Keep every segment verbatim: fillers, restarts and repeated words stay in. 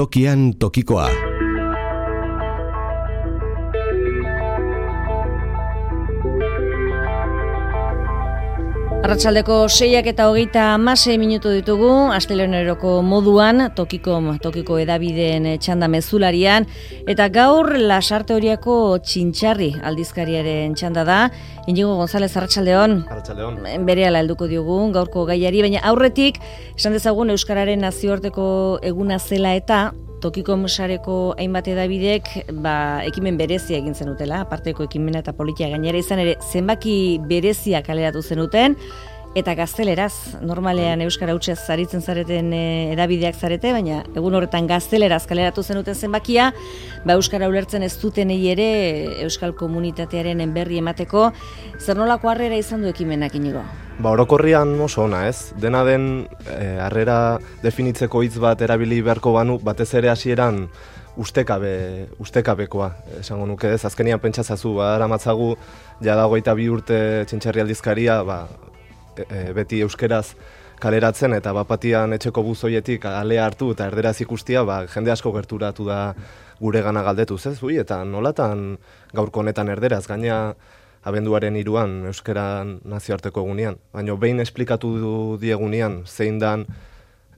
Tokian tokikoa. Arratsaldeko seiak eta hogeita hamasei minutu ditugu, asteleheneroko moduan, tokiko, tokiko edabideen txanda mezularian, eta gaur Lasarte Oriako Txintxarri aldizkariaren txanda da. Inigo González, arratsaldeon. Arratsaldeon. Berehala helduko diogu gaurko gaiari, baina aurretik, esan dezagun Euskararen nazioarteko eguna zela eta Tokiko sareko hainbat edabidek ba, ekimen berezia egin zenutela, aparteko ekimena eta politia gainera izan ere zenbaki berezia kaleratu zenuten, eta gazteleraz, normalean euskara hutsez zaritzen zareten e, edabideak zarete, baina egun horretan gazteleraz kaleratu zenuten zenbakia, ba, euskara ulertzen ez dutenei ere euskal komunitatearen berri emateko, zer nolako harrera izan du ekimenak, Inigo? Ba, orokorrian oso ona, ez? Dena den e, harrera definitzeko hitz bat erabili beharko banu, batez ere hasieran ustekabe, ustekabekoa, esango nuke ez, azkenian pentsazazu, ba, aramatzagu, jadagoita bi urte Txintxarri aldizkaria, ba, e, beti euskeraz kaleratzen, eta bapatian etxeko buzoietik alea hartu eta erderaz ikustia, ba, jende asko gerturatu da gure gana galdetuz, ez? Ui, eta nolatan gaurko honetan erderaz, gaina abenduaren hiruan euskara nazioarteko egunean. Baina behin esplikatu diegunean zein dan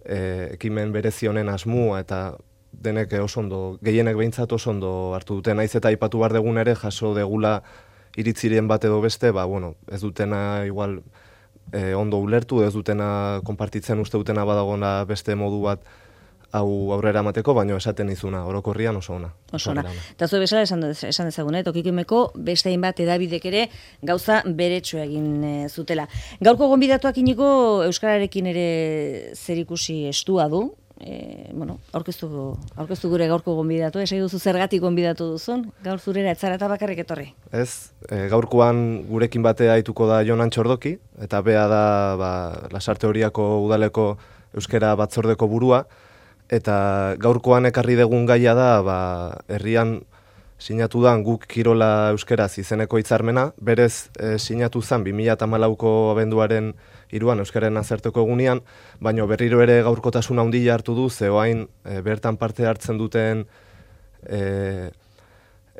e, ekimen berezi honen asmua eta denek oso ondo, gehienek behintzat oso ondo hartu dute. Naiz eta aipatu behar degun ere jaso degula iritzirien bat edo beste, ba, bueno, ez dutena igual e, ondo ulertu, ez dutena konpartitzen uste dutena badagona beste modu bat hau aurrera emateko, baino esaten izuna, orokorrian oso ona. Oso ona. Eta zu bezala esan, esan dezagun, eh? Tokikimeko beste hainbat edabidek ere gauza beretsu egin e, zutela. Gaurko gonbidatuak Inigo euskararekin ere zerikusi estua du. E, bueno, aurkeztu, aurkeztu gure gaurko gonbidatu, esai duzu zergatik gonbidatu duzun, gaur zurera etzara eta bakarrik etorri. Ez, e, gaurkoan gurekin batea aituko da Jon Antxordoki, eta bea da ba, Lasarte Oriako udaleko euskara batzordeko burua, eta gaurkoan ekarri degun gaia da, ba, herrian sinatu da guk kirola euskeraz izeneko hitzarmena, berez e, sinatu zen bi mila hamalauko abenduaren hiruan euskaren nazarteko egunean, baino berriro ere gaurkotasun handia hartu du, ze orain e, bertan parte hartzen duten e,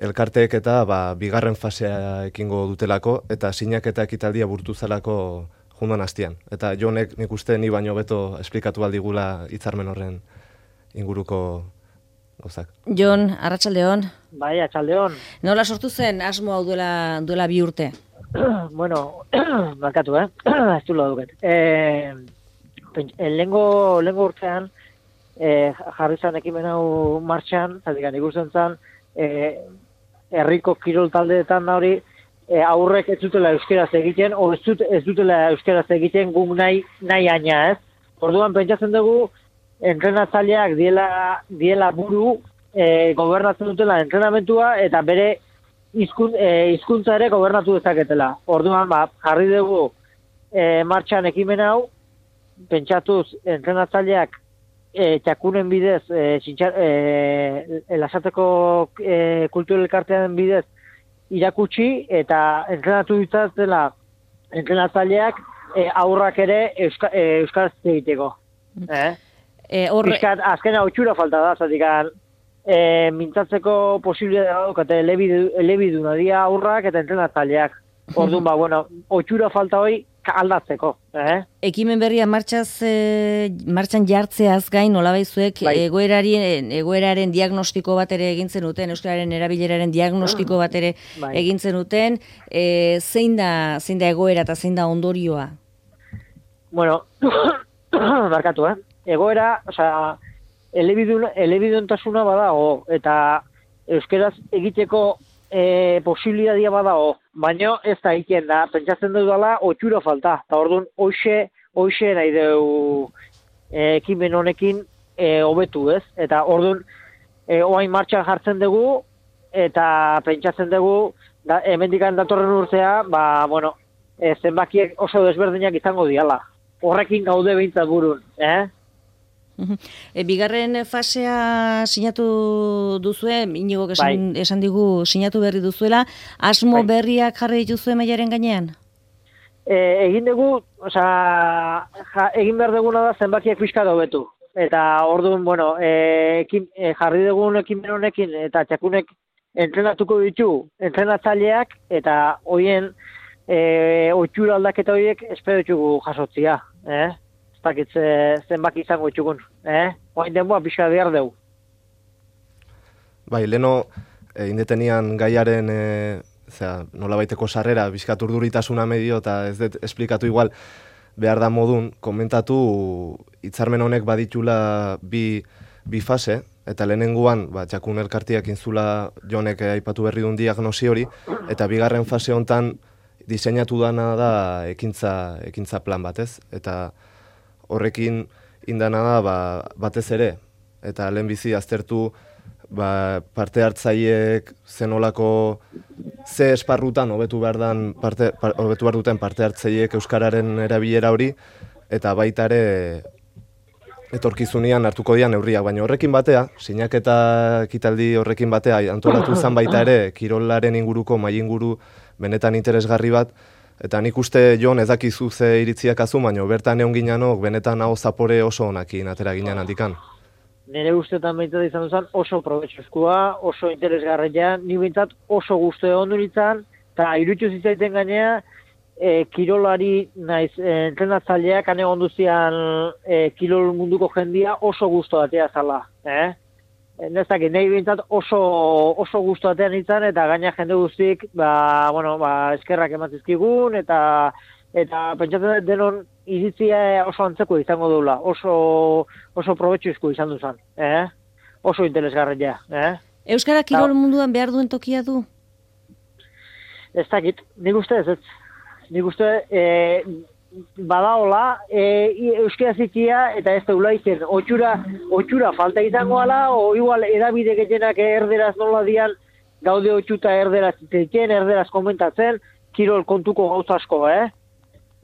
elkarteek eta ba, bigarren fasea ekingo dutelako, eta sinaketa ekitaldia burtu zelako jundan hastian. Eta Jonek nik uste ni baino beto esplikatu aldigula hitzarmen horren inguruko gauzak. Jon, arratsaldeon. Bai, arratsaldeon. Nola sortu zen asmo hau duela, duela bi urte? Bueno, markatu, eh? Ez du duket. Eh, lengo, lengo urtean, eh, jarri zen ekimen hau martxan, zatik ikusten zen, eh, herriko kirol taldeetan da hori, eh, aurrek ez dutela euskeraz egiten, o ez, dut, ez dutela euskeraz egiten guk nahi, nahi aina, ez? Orduan pentsatzen dugu, entrenatzaileak diela, diela buru e, gobernatzen dutela entrenamentua eta bere izkun, e, hizkuntza ere gobernatu dezaketela. Orduan, ba, jarri dugu e, martxan ekimen hau, pentsatuz entrenatzaileak e, txakunen bidez, e, txintxar, e, Lasarteko e, kultur elkartean bidez irakutsi eta entrenatu ditzatela entrenatzaileak e, aurrak ere euska, e, euskaraz egiteko. Eh? E, or... Piskat, azkena otxura falta da, zatikan, e, mintzatzeko posibilitatea daukate elebiduna dira aurrak eta entrenatzaileak. Orduan, ba, bueno, otxura falta hori aldatzeko. Eh? Ekimen berria martxaz, e, martxan jartzeaz gain, nolabaizuek bai. egoeraren, egoeraren diagnostiko bat ere egin zenuten, euskararen erabileraren diagnostiko bat ere bai. egin zenuten, e, zein da, zein da egoera eta zein da ondorioa? Bueno, barkatu, eh? Egoera, osea, elebidun, elebiduntasuna badago, eta euskeraz egiteko e, posibilitatea badago, baina ez da egiten da, pentsatzen dudala, otxura falta, eta orduan, hoxe, hoxe nahi dugu e, ekimen honekin e, hobetu, ez? Eta orduan, e, oain martxan jartzen dugu, eta pentsatzen dugu, da, hemendikan datorren urtea, ba, bueno, e, zenbakiek oso desberdinak izango diala. Horrekin gaude behintzat burun, eh? E, bigarren fasea sinatu duzue, Inigo esan, bai. esan digu sinatu berri duzuela, asmo bai. berriak jarri dituzue mailaren gainean? E, egin dugu, osea, ja, egin behar duguna da zenbakiak pixka hobetu. eta orduan, bueno, e, ekin, e, jarri dugun ekimen honekin, eta txakunek entrenatuko ditu, entrenatzaileak, eta hoien e, otxura aldaketa horiek espero ditugu jasotzia, eh? Ez dakit zenbaki izango ditugun, eh? Hoain denboa pixka behar dugu. Bai, leno, e, indetenian gaiaren, e, zera, nola baiteko sarrera, bizkat urduritasuna medio, eta ez dut esplikatu igual, behar da modun, komentatu hitzarmen honek baditula bi, bi fase, eta lehenengoan, ba, txakun elkartiak inzula jonek aipatu berri duen diagnosi hori, eta bigarren fase hontan diseinatu dana da ekintza, ekintza plan batez, eta horrekin indana da ba, batez ere, eta lehenbizi aztertu ba, parte hartzaileek zenolako ze esparrutan hobetu behar dan parte par, hobetu behar duten parte hartzaileek euskararen erabilera hori, eta baita ere etorkizunean hartuko dian neurriak, baina horrekin batea, sinaketa ekitaldi horrekin batea antolatu izan baita ere kirolaren inguruko mai inguru benetan interesgarri bat, eta nik uste Jon ez dakizu ze iritziak azu, baina bertan egon ginanok benetan hau zapore oso onakin atera ginen handikan. Nire ustetan behintzat izan duzan oso probetxuzkoa, oso interesgarria, ni behintzat oso guztu egon du nintzen, eta irutxu zitzaiten gainea, e, kirolari naiz e, entrenatzaileak ane onduzian e, kirol munduko jendia oso guztu atea zala. Eh? Nezakit, nahi behintzat oso, oso guztu atea nintzen, eta gaina jende guztik ba, bueno, ba, eskerrak ematizkigun, eta eta pentsatzen denon iritzia oso antzeko izango dula, oso, oso probetxuzko izan duzan, eh? Oso interesgarria. Eh? Euskara kirol munduan behar duen tokia du? Ez dakit, nik uste ez, ez. Nik uste e, badaola, e, euskara zikia eta ez daula izen, otxura, otxura falta izango ala, o igual edabide gehienak erderaz nola dian, gaude otxuta erderaz zitzen, erderaz komentatzen, kirol kontuko gauza asko, eh?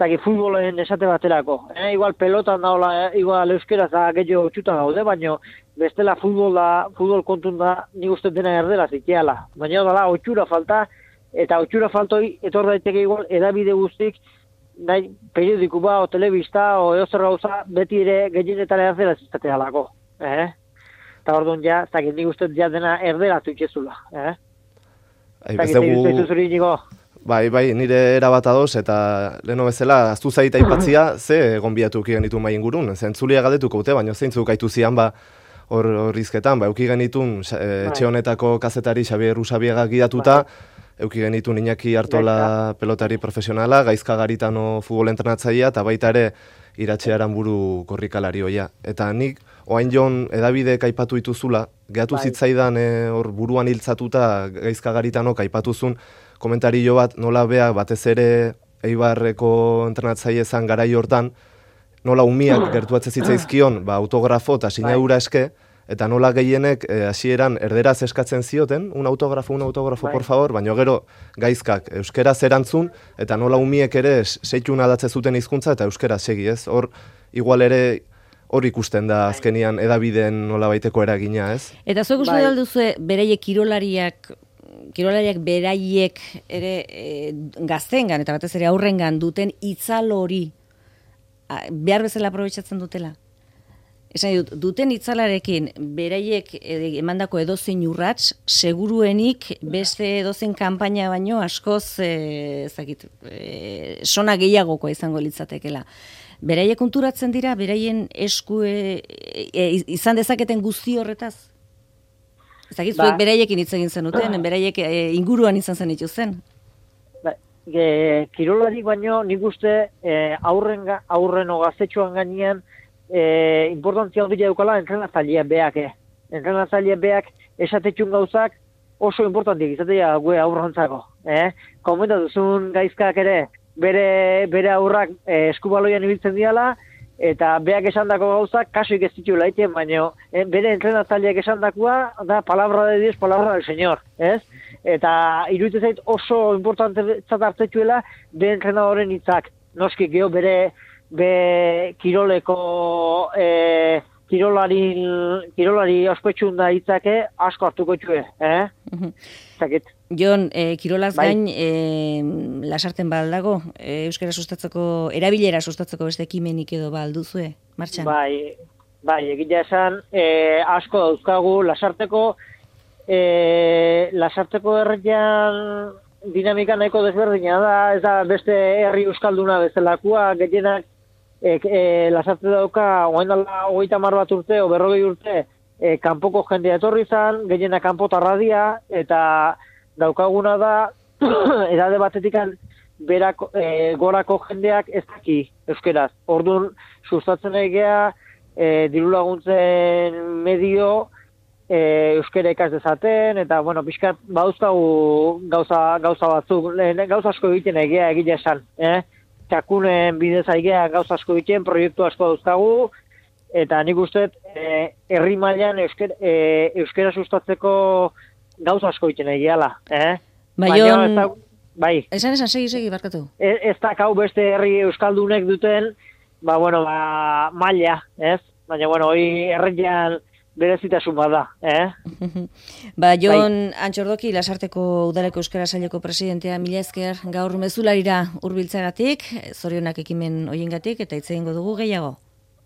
Zaki futbolen esate baterako. Eh? Igual pelotan daola, eh? Igual euskeraz da gehiago txuta gaude, baina bestela futbol da, futbol kontun da nik uste dena erdela ziteala. Baina dala, otxura falta, eta otxura faltoi etor daiteke igual edabide guztik, nahi periodiku ba, o telebista, o eozer gauza, beti ere gehienetan erdela zitatealako. Eh? Eta orduan ja, zaki nik uste ja dena erdela zuitzezula. Eh? Zaki, Bai, bai, nire erabat adoz, eta leheno bezala, aztu zaita aipatzia, ze gonbiatu uki genitu mai ingurun. Zentzulia galdetuko ute, baina zeintzuk aitu zian ba hor horrizketan, ba, euki genitun etxe honetako kazetari Xabier Usabiega gidatuta, euki genitun Iñaki Artola pelotari profesionala, Gaizka Garitano futbol entrenatzailea, eta baita ere Iratxe Aranburu korrikalari hoia. Eta nik, oain Jon edabidek aipatu dituzula, gehatu zitzaidan hor buruan hiltzatuta Gaizka Garitanok aipatuzun, komentario bat, nola bea batez ere Eibarreko entrenatzaile zan garai hortan, nola umiak gertuatze zitzaizkion, ba, autografo eta sinadura eske, eta nola gehienek hasieran e, erderaz eskatzen zioten, un autografo, un autografo, por favor, baina gero Gaizkak euskeraz erantzun, eta nola umiek ere seitun adatze zuten hizkuntza eta euskeraz segi, ez? Hor, igual ere, hor ikusten da azkenian edabideen nola baiteko eragina, ez? Eta zuek uste dalduzue bereiek kirolariak, kirolariak beraiek ere e, gaztengan eta batez ere aurrengan duten itzal hori behar bezala aprobetxatzen dutela. Esan dut, duten itzalarekin beraiek emandako edozein urrats, seguruenik beste edozein kanpaina baino askoz e, zakit, e, sona gehiagokoa izango litzatekela. Beraiek konturatzen dira, beraien esku e, e, izan dezaketen guzti horretaz? Ezagit, zuek ba, beraiekin hitz egin zenuten, beraiek e, inguruan izan zen zen. Ba, e, kirolarik baino nik uste e, aurren, aurren o gaztetxoan gainean e, importantzia handia dukala entrenatzaileak beak. Eh. Entrenatzaileak beak esatetxun gauzak oso importantiak izatea gue aurrantzako. Eh? Komenta duzun Gaizkak ere bere, bere aurrak e, eskubaloian ibiltzen diala, eta beak esandako gauzak kasuik ez ditu laiten, baina eh, bere entrenatzaileak esandakoa da palabra de Dios, palabra del Señor, ez? Eta iruditzen zait oso importante hartzetuela bere entrenadoren hitzak. Noski geho bere be kiroleko eh, kirolari kirolari ospetxun da hitzake asko hartuko txue, eh? Zakit. Jon, e, kirolaz bai. Gain, e, lasarten baldago, e, euskara sustatzeko, erabilera sustatzeko beste ekimenik edo balduzue, martxan? Bai, bai, egitea esan, e, asko dauzkagu, lasarteko, e, lasarteko herrian dinamika nahiko desberdina da, ez da beste herri euskalduna bezalakoa, gehienak e, e, lasarte dauka, oain dala hogeita hamar bat urte, o berrogei urte, e, kanpoko jendea etorri zan, gehienak kanpota dia, eta daukaguna da, edade batetik berako, e, gorako jendeak ez daki euskeraz. Orduan, sustatzen egea, e, diru laguntzen medio, e, euskera ikas dezaten, eta, bueno, pixkat, bauzkagu gauza, gauza batzuk, lehen, gauza asko egiten egea egile esan, eh? Txakunen bidez aigea gauza asko egiten, proiektu asko dauzkagu, eta nik uste, e, herri mailan euskera, e, euskera sustatzeko gauza asko egiten egiala, eh? Baion, da, bai. Esan esan, segi, segi, barkatu. Ez, ez da kau beste herri euskaldunek duten, ba, bueno, ba, maila, ez? Baina, bueno, hori herrian berezitasun bada, eh? Ba, Jon bai. Antxordoki, Lasarteko Udaleko Euskara Saileko presidentea, mila esker gaur mezularira hurbiltzagatik, zorionak ekimen hoiengatik, eta hitz egingo dugu gehiago.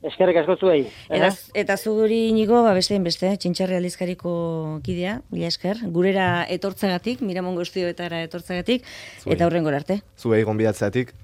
Eskerrik asko zuei. Eta, eta zuguri inigo, ba, bestein beste, Txintxarri aldizkariko kidea, mila esker, gurera etortzagatik, Miramon Guztioetara etortzagatik, eta hurrengora arte. Zuei gonbidatzeatik.